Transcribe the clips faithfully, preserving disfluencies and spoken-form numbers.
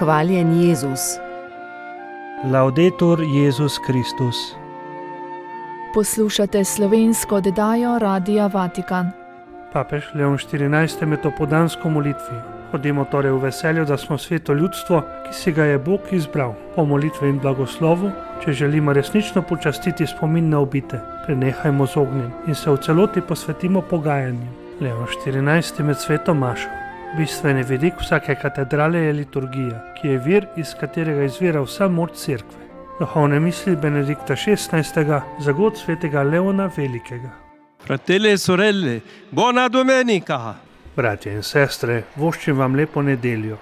Hvaljen Jezus. Laudetur Jezus Kristus. Poslušate slovensko oddajo Radia Vatikan. Papež Leon štirinajsti med opoldansko molitvi. Hodimo torej v veselju, da smo sveto ljudstvo, ki si ga je Bog izbral. Po molitvi in blagoslovu, če želimo resnično počastiti spomin na ubite, prenehajmo z ognjem in se v celoti posvetimo pogajanjem. Leon štirinajsti med sveto mašo. Bistveni vidik vsake katedrale je liturgija, ki je vir, iz katerega izvira vsa moč cerkve. Duhovne misli Benedikta šestnajstega za god svetega Leona Velikega. Fratelli e sorelle, buona domenica! Bratje in sestre, voščim vam lepo nedeljo.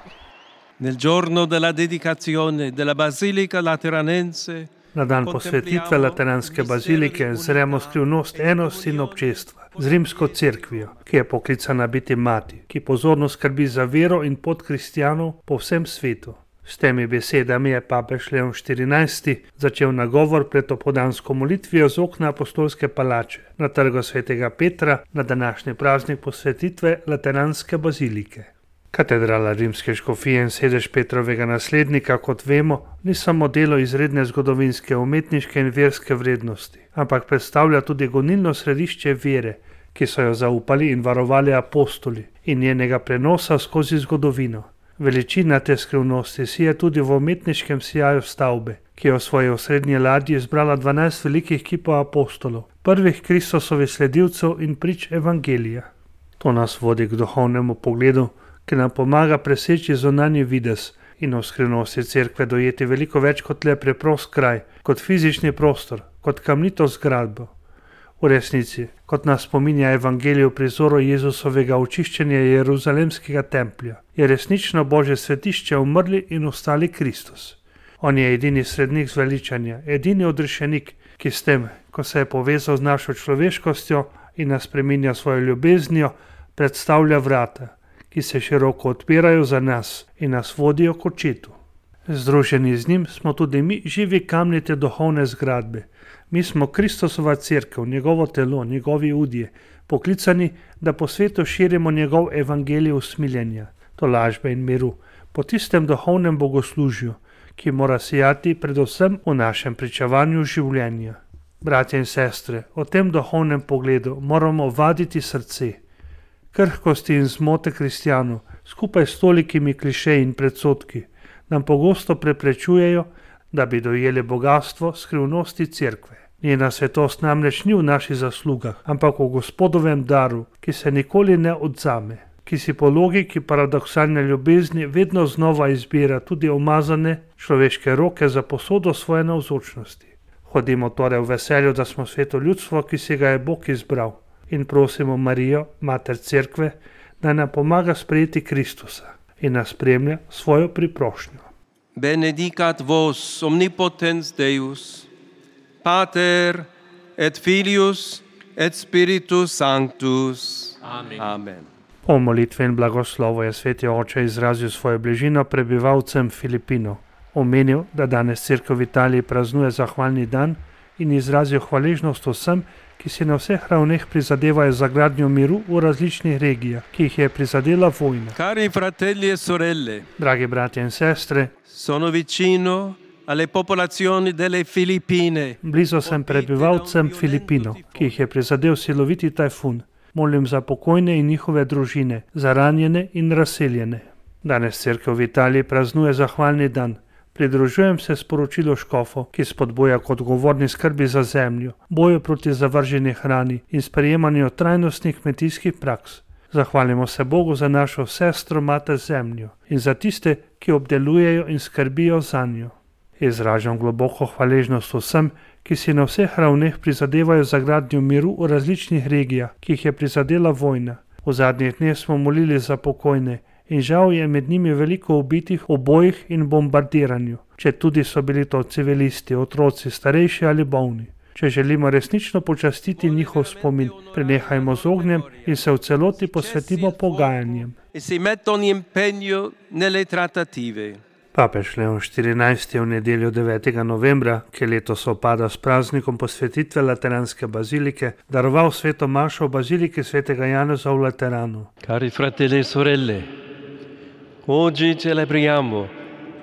Nel giorno della dedicazione della Basilica Lateranense, Na dan posvetitve Lateranske bazilike zremo skrivnost enosti in občestva z rimsko cerkvijo, ki je poklicana biti mati, ki pozorno skrbi za vero in pot kristjanov po vsem svetu. S temi besedami je papež Leon štirinajsti začel nagovor pred opoldansko molitvijo z okna apostolske palače na trgu svetega Petra na današnji praznik posvetitve Lateranske bazilike. Katedrala rimske škofije in sedež Petrovega naslednika, kot vemo, ni samo delo izredne zgodovinske, umetniške in verske vrednosti, ampak predstavlja tudi gonilno središče vere, ki so jo zaupali in varovali apostoli in njenega prenosa skozi zgodovino. Veličina te skrivnosti si je tudi v umetniškem sijaju stavbe, ki je v svoji osrednji ladji zbrala dvanajst velikih kipov apostolov, prvih Kristusovih sledilcev in prič evangelija. To nas vodi k duhovnemu pogledu, ki nam pomaga preseči zunanji videz in v skrivnosti cerkve dojeti veliko več kot le preprost kraj, kot fizični prostor, kot kamnito zgradbo. V resnici, kot nas spominja evangelij v prizoru Jezusovega očiščenja Jeruzalemskega templja, je resnično Božje svetišče umrli in ostali Kristus. On je edini srednik zveličanja, edini odrešenik, ki s tem, ko se je povezal z našo človeškostjo in nas spreminja svojo ljubeznijo, predstavlja vrata, ki se široko odpirajo za nas in nas vodijo k očetu. Združeni z njim smo tudi mi živi kamni te duhovne zgradbe. Mi smo Kristusova cerkev, njegovo telo, njegovi udje, poklicani, da po svetu širimo njegov evangelij usmiljenja, tolažbe in miru, po tistem duhovnem bogoslužju, ki mora sijati predvsem v našem pričevanju življenja. Bratje in sestre, o tem duhovnem pogledu moramo vaditi srce. Krhkosti in zmote kristjanov, skupaj s tolikimi klišeji in predsodki, nam pogosto preprečujejo, da bi dojeli bogatstvo skrivnosti cerkve. Njena svetost namreč ni v naših zaslugah, ampak v Gospodovem daru, ki se nikoli ne odzame, ki si po logiki paradoksalne ljubezni vedno znova izbira tudi umazane človeške roke za posodo svoje navzočnosti. Hodimo torej v veselju, da smo sveto ljudstvo, ki si ga je Bog izbral, in prosimo Marijo, mater cerkve, da nam pomaga sprejeti Kristusa in nas spremlja svojo priprošnjo. benedicat vos omnipotens Deus, Pater et Filius et Spiritus Sanctus. Amen. Amen. Po molitvi in blagoslovu je sveti oče izrazil svojo bližino prebivalcem Filipinov. Omenil, da danes cerkev v Italiji praznuje zahvalni dan in izrazil hvaležnost vsem, ki si na vseh ravneh prizadevajo za gradnjo miru v različnih regijah, ki jih je prizadela vojna. Cari fratelli e sorelle, Dragi bratje in sestre, sono vicino alle popolazioni delle Filippine. blizu sem prebivalcem Filipinov, ki jih je prizadel siloviti tajfun. Molim za pokojne in njihove družine, za ranjene in razseljene. Danes cerkev v Italiji praznuje zahvalni dan. Pridružujem se sporočilu škofov, ki spodbuja k odgovorni skrbi za zemljo, boju proti zavrženi hrani in sprejemanju trajnostnih kmetijskih praks. Zahvalimo se Bogu za našo sestro mater zemljo in za tiste, ki obdelujejo in skrbijo za njo. Izražam globoko hvaležnost vsem, ki si na vseh ravneh prizadevajo za gradnjo miru v različnih regijah, ki jih je prizadela vojna. V zadnjih dneh smo molili za pokojne in žal je med njimi veliko ubitih v bojih in bombardiranju, če tudi so bili to civilisti, otroci, starejši ali bolni. Če želimo resnično počastiti njihov spomin, prenehajmo z ognjem in se v celoti posvetimo pogajanjem. E si mettono in impegno nelle trattative. Papež Leon štirinajsti je v nedeljo devetega novembra, ki letos sovpada s praznikom posvetitve Lateranske bazilike, daroval sveto mašo v baziliki svetega Janeza v Lateranu. Cari fratelli e sorelle, oggi celebriamo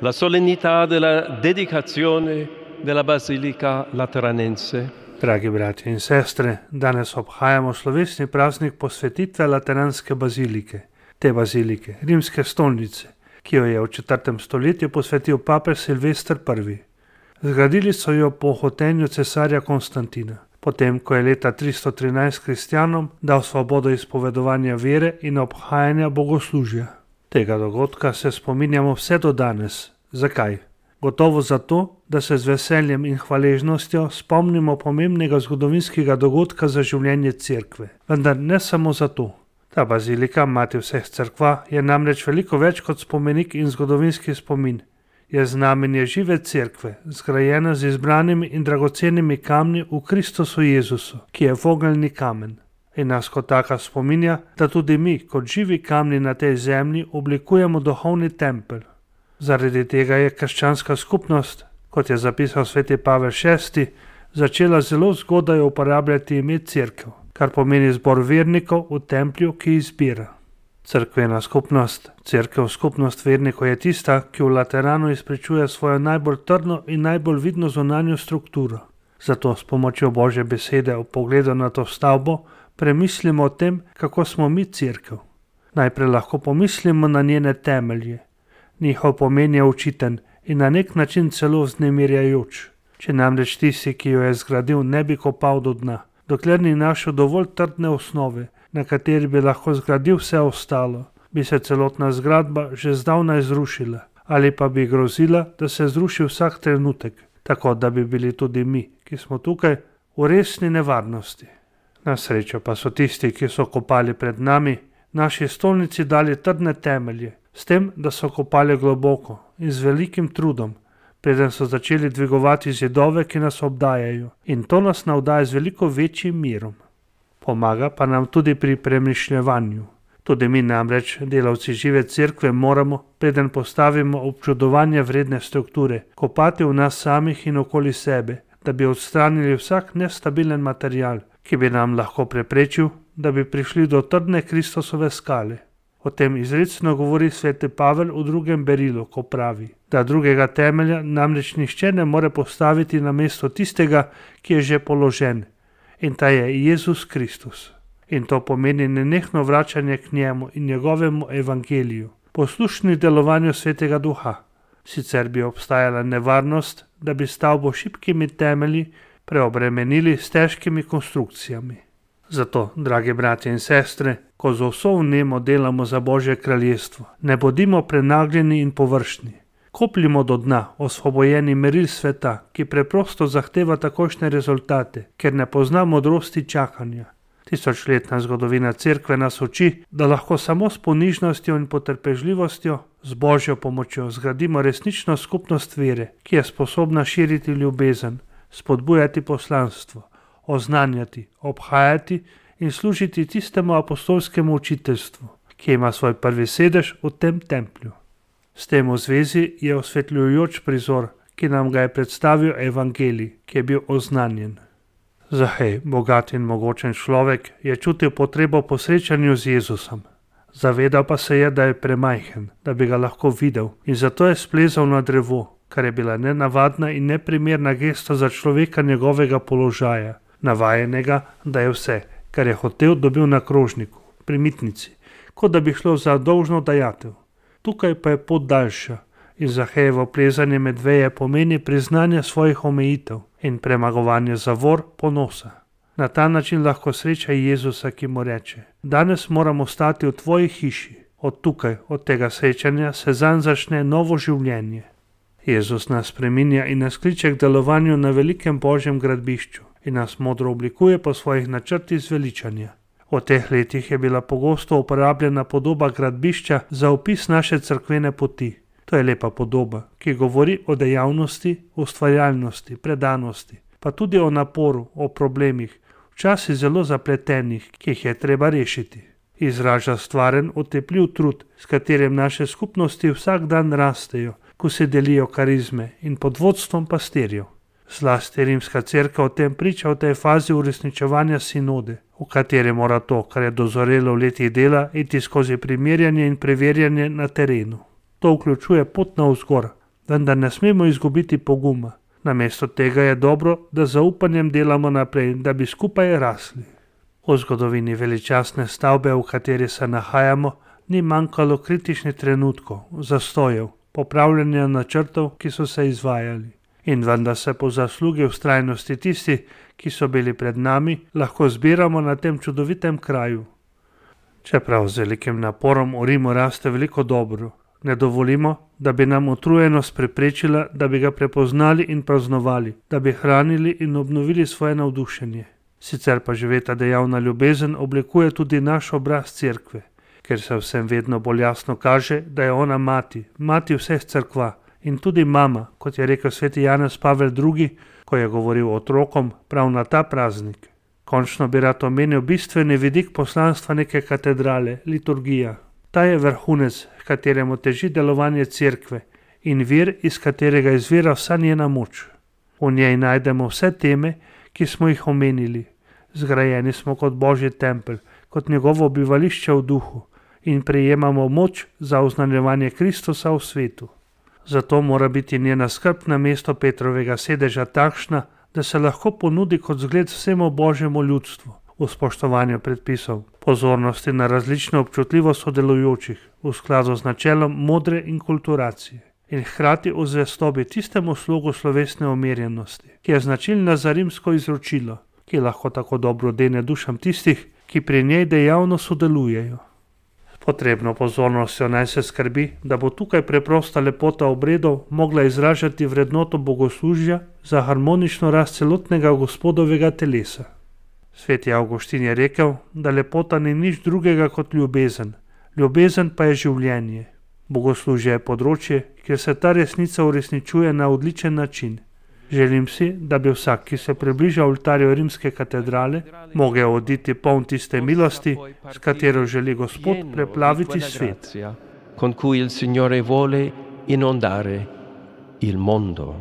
la solennità della dedicazione della Basilica Lateranense. Dragi bratje in sestre, danes obhajamo slovesni praznik posvetitve Lateranske bazilike, te bazilike, rimske stolnice, ki jo je v četrtem stoletju posvetil papež Silvester prvi. Zgradili so jo po hotenju cesarja Konstantina, potem ko je leta tristo trinajst kristjanom dal svobodo izpovedovanja vere in obhajanja bogoslužja. Tega dogodka se spominjamo vse do danes. Zakaj? Gotovo zato, da se z veseljem in hvaležnostjo spomnimo pomembnega zgodovinskega dogodka za življenje cerkve. Vendar ne samo zato. Ta bazilika, mati vseh cerkva, je namreč veliko več kot spomenik in zgodovinski spomin. Je znamenje žive cerkve, zgrajena z izbranimi in dragocenimi kamni v Kristusu Jezusu, ki je vogelni kamen. In nas kot taka spominja, da tudi mi, kot živi kamni na tej zemlji, oblikujemo duhovni tempelj. Zaradi tega je krščanska skupnost, kot je zapisal sveti Pavel šesti, začela zelo zgodaj uporabljati ime cerkev, kar pomeni zbor vernikov v templju, ki izbira. Cerkvena skupnost, cerkev skupnost vernikov je tista, ki v Lateranu izpričuje svojo najbolj trdno in najbolj vidno zunanjo strukturo. Zato s pomočjo Božje besede v pogledu na to stavbo premislimo o tem, kako smo mi cerkev. Najprej lahko pomislimo na njene temelje. Njihov pomen je očiten in na nek način celo vznemirjajoč. Če namreč tisti, ki jo je zgradil, ne bi kopal do dna, dokler ni našel dovolj trdne osnove, na kateri bi lahko zgradil vse ostalo, bi se celotna zgradba že zdavnaj zrušila, ali pa bi grozila, da se zruši vsak trenutek, tako da bi bili tudi mi, ki smo tukaj, v resni nevarnosti. Na srečo pa so tisti, ki so kopali pred nami, naši stolnici dali trdne temelje, s tem, da so kopali globoko in z velikim trudom, preden so začeli dvigovati zidove, ki nas obdajajo, in to nas navdaja z veliko večjim mirom. Pomaga pa nam tudi pri premišljevanju. Tudi mi namreč, delavci žive cerkve, moramo, preden postavimo občudovanja vredne strukture, kopati v nas samih in okoli sebe, da bi odstranili vsak nestabilen material, ki bi nam lahko preprečil, da bi prišli do trdne Kristusove skale. O tem izrecno govori sveti Pavel v drugem berilu, ko pravi, da drugega temelja namreč nihče ne more postaviti na mesto tistega, ki je že položen, in ta je Jezus Kristus. In to pomeni nenehno vračanje k njemu in njegovemu evangeliju, poslušni delovanju svetega duha. Sicer bi obstajala nevarnost, da bi stavbo šibkimi temelji preobremenili s težkimi konstrukcijami. Zato, dragi bratje in sestre, ko z vso vnemo delamo za Božje kraljestvo, ne bodimo prenagljeni in površni. Kopljimo do dna, osvobojeni meril sveta, ki preprosto zahteva takošne rezultate, ker ne pozna modrosti čakanja. Tisočletna zgodovina cerkve nas uči, da lahko samo s ponižnostjo in potrpežljivostjo, z Božjo pomočjo zgradimo resnično skupnost vere, ki je sposobna širiti ljubezen, spodbujati poslanstvo, oznanjati, obhajati in služiti tistemu apostolskemu učiteljstvu, ki ima svoj prvi sedež v tem templju. S tem v zvezi je osvetljujoč prizor, ki nam ga je predstavil evangelij, ki je bil oznanjen. Zahej, bogat in mogočen človek, je čutil potrebo po srečanju z Jezusom. Zavedal pa se je, da je premajhen, da bi ga lahko videl, in zato je splezal na drevo, kar je bila nenavadna in neprimerna gesta za človeka njegovega položaja, navajenega, da je vse, kar je hotel, dobil na krožniku, pri mitnici, kot da bi šlo za dolžno dajatev. Tukaj pa je pot daljša in Zahejevo plezanje med veje pomeni priznanje svojih omejitev in premagovanje zavor ponosa. Na ta način lahko sreča Jezusa, ki mu reče: danes moramo stati v tvoji hiši. Od tukaj, od tega srečanja se zanj začne novo življenje. Jezus nas spreminja in nas kliče k delovanju na velikem Božjem gradbišču in nas modro oblikuje po svojih načrtih zveličanja. V teh letih je bila pogosto uporabljena podoba gradbišča za opis naše cerkvene poti. To je lepa podoba, ki govori o dejavnosti, ustvarjalnosti, predanosti, pa tudi o naporu, o problemih, včasih zelo zapletenih, ki jih je treba rešiti. Izraža stvaren, otepljiv trud, s katerim naše skupnosti vsak dan rastejo, ko se delijo karizme in pod vodstvom pastirjev. Zlasti rimska cerkev o tem priča v tej fazi uresničevanja sinode, v kateri mora to, kar je dozorelo v letih dela, iti skozi primerjanje in preverjanje na terenu. To vključuje pot navzgor, vendar ne smemo izgubiti poguma. Namesto tega je dobro, da z zaupanjem delamo naprej, da bi skupaj rasli. V zgodovini veličastne stavbe, v kateri se nahajamo, ni manjkalo kritičnih trenutkov, zastojev, popravljanja načrtov, ki so se izvajali. In vendar se po zaslugi vztrajnosti tisti, ki so bili pred nami, lahko zbiramo na tem čudovitem kraju. Čeprav z velikim naporom v Rimu raste veliko dobro, ne dovolimo, da bi nam utrujenost preprečila, da bi ga prepoznali in praznovali, da bi hranili in obnovili svoje navdušenje. Sicer pa živeta dejavna ljubezen oblikuje tudi naš obraz cerkve, ker se vsem vedno bolj jasno kaže, da je ona mati, mati vseh cerkva in tudi mama, kot je rekel sveti Janez Pavel drugi, ko je govoril otrokom prav na ta praznik. Končno bi rad omenil bistveni vidik poslanstva neke katedrale, liturgija. Ta je vrhunec, kateremu teži delovanje cerkve in vir, iz katerega izvira vsa njena moč. V njej najdemo vse teme, ki smo jih omenili. Zgrajeni smo kot Božji tempelj, kot njegovo bivališče v duhu in prejemamo moč za oznanjevanje Kristusa v svetu. Zato mora biti njena skrb na mesto Petrovega sedeža takšna, da se lahko ponudi kot zgled vsemu Božjemu ljudstvu v spoštovanju predpisov, pozornosti na različno občutljivost sodelujočih v skladu z načelom modre inkulturacije in hkrati v zvestobi tistemu slogu slovesne umirjenosti, ki je značilna za rimsko izročilo, ki lahko tako dobro dene dušam tistih, ki pri njej dejavno sodelujejo. Potrebno pozornostjo naj se skrbi, da bo tukaj preprosta lepota obredov mogla izražati vrednoto bogoslužja za harmonično rast celotnega Gospodovega telesa. Sveti Avguštin je rekel, da lepota ni nič drugega kot ljubezen, ljubezen pa je življenje. Bogoslužje je področje, kjer se ta resnica uresničuje na odličen način. Želim si, da bi vsak, ki se približa oltarju rimske katedrale, mogel oditi poln tiste milosti, s katero želi Gospod preplaviti svet. Con cui il Signore vuole inondare il mondo.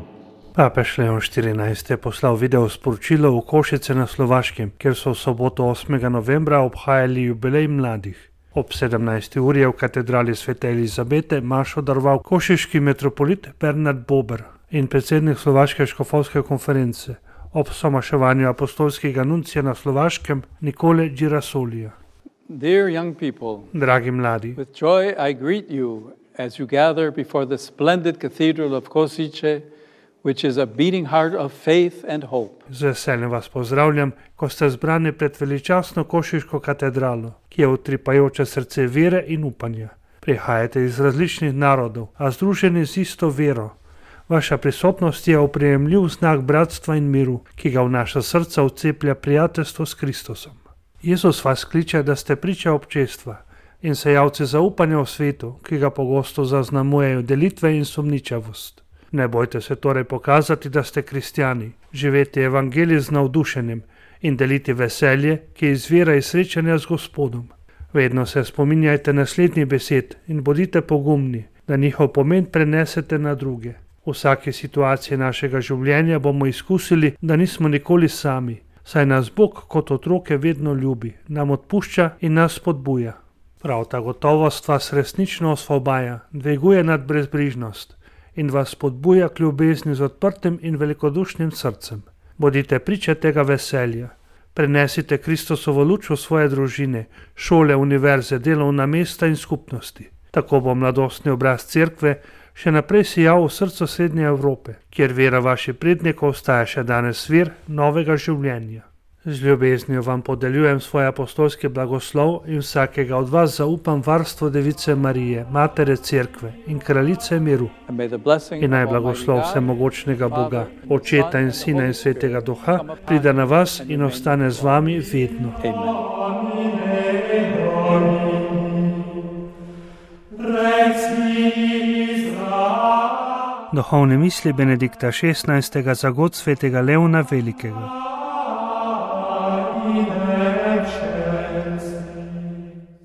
Papež Leon štirinajsti je poslal video sporočilo v Košice na Slovaškem, kjer so v soboto osmega novembra obhajali jubilej mladih. Ob sedemnajsti uri je v katedrali svete Elizabete mašo daroval košiški metropolit Bernard Bober in predsednik Slovaške škofovske konference ob somaševanju apostolskega nuncija na Slovaškem Nikole Girasolija. Dear young people, Dragi mladi, with joy I greet you as you gather before the splendid cathedral of Kosice, which is a beating heart of faith and hope. Z veseljem vas pozdravljam, ko ste zbrani pred veličastno košiško katedralo, ki je utripajoče srce vere in upanja. Prihajate iz različnih narodov, a združeni z isto vero. Vaša prisotnost je oprijemljiv znak bratstva in miru, ki ga v naša srca vceplja prijateljstvo s Kristusom. Jezus vas kliče, da ste priča občestva in sejavci zaupanja v svetu, ki ga pogosto zaznamujejo delitve in sumničavost. Ne bojte se torej pokazati, da ste kristjani, živeti evangelij z navdušenjem in deliti veselje, ki izvira iz srečanja z Gospodom. Vedno se spominjajte naslednjih besed in bodite pogumni, da njihov pomen prenesete na druge. V vsaki situaciji našega življenja bomo izkusili, da nismo nikoli sami, saj nas Bog kot otroke vedno ljubi, nam odpušča in nas spodbuja. Prav ta gotovost vas resnično osvobaja, dviguje nad brezbrižnost in vas spodbuja k ljubezni z odprtim in velikodušnim srcem. Bodite priče tega veselja. Prenesite Kristusovo luč v svoje družine, šole, univerze, delovna mesta in skupnosti. Tako bo mladostni obraz cerkve še naprej sijal v srcu Srednje Evrope, kjer vera vaših prednikov ostaja še danes vir novega življenja. Z ljubeznijo vam podeljujem svoj apostolski blagoslov in vsakega od vas zaupam varstvo Device Marije, Matere Cerkve in Kraljice miru. In naj blagoslov vsemogočnega Boga, Očeta in Sina in Svetega Duha, pride na vas in ostane z vami vedno. Duhovne misli Benedikta šestnajstega za god svetega Leona Velikega.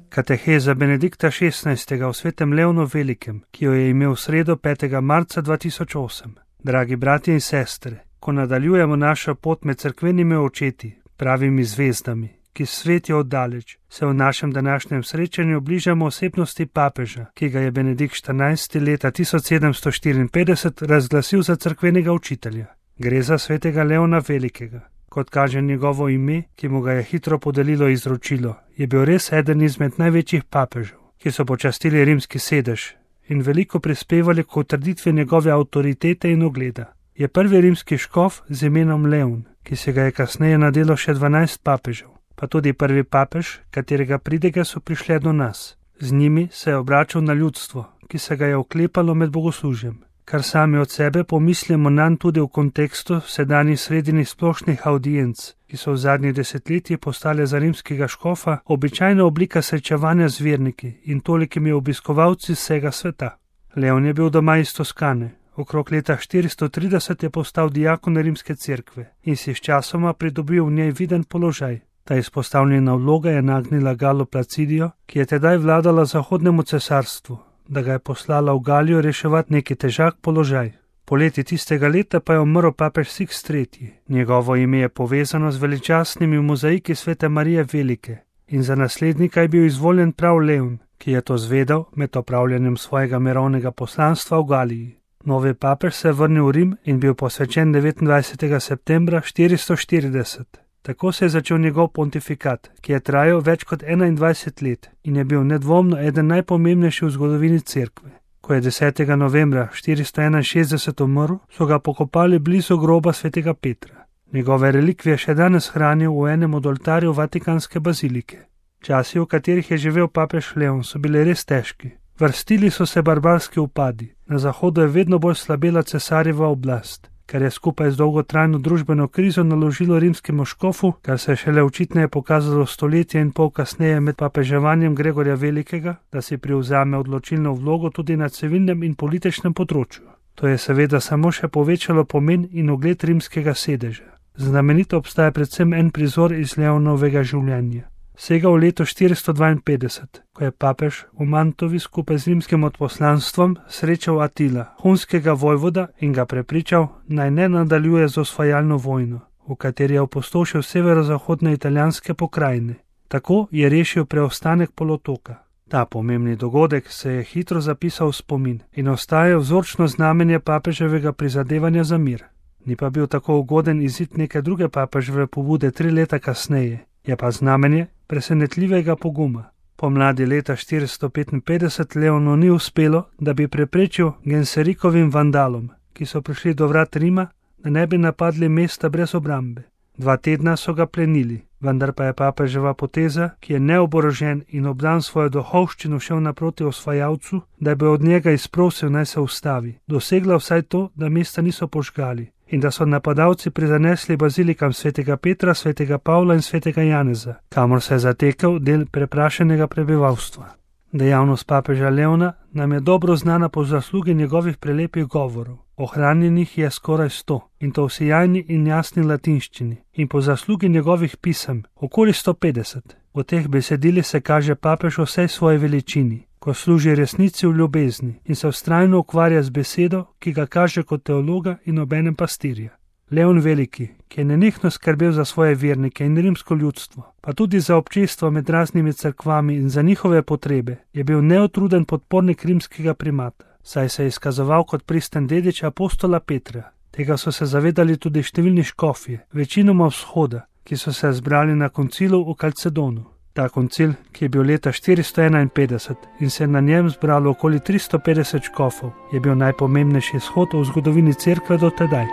Kateheza Benedikta šestnajstega o svetem Leonu Velikem, ki jo je imel v sredo petega marca dva tisoč osem. Dragi bratje in sestre, ko nadaljujemo našo pot med cerkvenimi očeti, pravimi zvezdami, ki svetijo oddaleč, se v našem današnjem srečanju bližamo osebnosti papeža, ki ga je Benedikt štirinajsti leta tisoč sedemsto štiriinpetdeset razglasil za cerkvenega učitelja. Gre za svetega Leona Velikega. Kot kaže njegovo ime, ki mu ga je hitro podelilo izročilo, je bil res eden izmed največjih papežev, ki so počastili rimski sedež in veliko prispevali k utrditvi njegove avtoritete in ugleda. Je prvi rimski škof z imenom Leon, ki se ga je kasneje nadelo še dvanajst papežev, pa tudi prvi papež, katerega pridege so prišle do nas. Z njimi se je obračal na ljudstvo, ki se ga je oklepalo med bogoslužjem. Kar sami od sebe pomislimo nanj tudi v kontekstu sedanjih srednjih splošnih audienc, ki so v zadnjih desetletjih postale za rimskega škofa običajna oblika srečevanja z verniki in tolikimi obiskovalci vsega sveta. Leon je bil doma iz Toskane. Okrog leta štiristo trideset je postal dijakon rimske cerkve in si sčasoma pridobil v njej viden položaj. Ta izpostavljena vloga je nagnila Galo Placidijo, ki je tedaj vladala zahodnemu cesarstvu, da ga je poslala v Galijo reševati neki težak položaj. Poleti tistega leta pa je umrl papež Sixt tretji. Njegovo ime je povezano z veličastnimi mozaiki svete Marije Velike in za naslednika je bil izvoljen prav Leon, ki je to zvedel med opravljanjem svojega mirovnega poslanstva v Galiji. Novi papež se je vrnil v Rim in bil posvečen devetindvajsetega septembra štiristo štirideset. Tako se je začel njegov pontifikat, ki je trajal več kot enaindvajset let in je bil nedvomno eden najpomembnejših v zgodovini cerkve. Ko je desetega novembra štiristo enainšestdeset umrl, so ga pokopali blizu groba svetega Petra. Njegove relikvije še danes hranijo v enem od oltarjev Vatikanske bazilike. Časi, v katerih je živel papež Leon, so bili res težki. Vrstili so se barbarski upadi, na zahodu je vedno bolj slabela cesarjeva oblast, kar je skupaj z dolgotrajno družbeno krizo naložilo rimskemu škofu, kar se je šele očitneje pokazalo stoletje in pol kasneje med papeževanjem Gregorja Velikega, da si privzame odločilno vlogo tudi na civilnem in političnem področju. To je seveda samo še povečalo pomen in ugled rimskega sedeža. Znamenito obstaja predvsem en prizor iz Leonovega življenja. Sega v leto štiristo dvainpetdeset, ko je papež v Mantovi skupaj z rimskim odposlanstvom srečal Atila, hunskega vojvoda, in ga prepričal, naj ne nadaljuje z osvajalno vojno, v kateri je opustošil severozahodne italijanske pokrajine. Tako je rešil preostanek polotoka. Ta pomembni dogodek se je hitro zapisal v spomin in ostaja vzorčno znamenje papeževega prizadevanja za mir. Ni pa bil tako ugoden izid neke druge papeževe pobude tri leta kasneje, je pa znamenje presenetljivega poguma. Pomladi leta štiristo petinpetdeset Leonu ni uspelo, da bi preprečil Genserikovim vandalom, ki so prišli do vrat Rima, da ne bi napadli mesta brez obrambe. Dva tedna so ga plenili, vendar pa je papeževa poteza, ki je neoborožen in obdan svojo duhovščino šel naproti osvajalcu, da bi od njega izprosil naj se ustavi, dosegla vsaj to, da mesta niso požgali in da so napadalci prizanesli bazilikam svetega Petra, svetega Pavla in svetega Janeza, kamor se je zatekel del preprašenega prebivalstva. Dejavnost papeža Leona nam je dobro znana po zaslugi njegovih prelepih govorov. Ohranjenih je skoraj sto, in to v sijajni in jasni latinščini, in po zaslugi njegovih pisem okoli sto petdeset. V teh besedilih se kaže papež v vsej svoji veličini, ko služi resnici v ljubezni in se vztrajno ukvarja z besedo, ki ga kaže kot teologa in obenem pastirja. Leon Veliki, ki je nenehno skrbel za svoje vernike in rimsko ljudstvo, pa tudi za občestvo med raznimi cerkvami in za njihove potrebe, je bil neotruden podpornik rimskega primata, saj se je izkazoval kot pristen dedič apostola Petra. Tega so se zavedali tudi številni škofje, večinoma vzhoda, ki so se zbrali na koncilu v Kalcedonu. Ta koncil, ki je bil leta štiristo enainpetdeset in se je na njem zbralo okoli tristo petdeset škofov, je bil najpomembnejši shod v zgodovini cerkve do tedaj.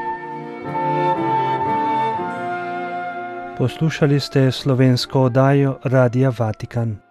Poslušali ste slovensko oddajo Radia Vatikan.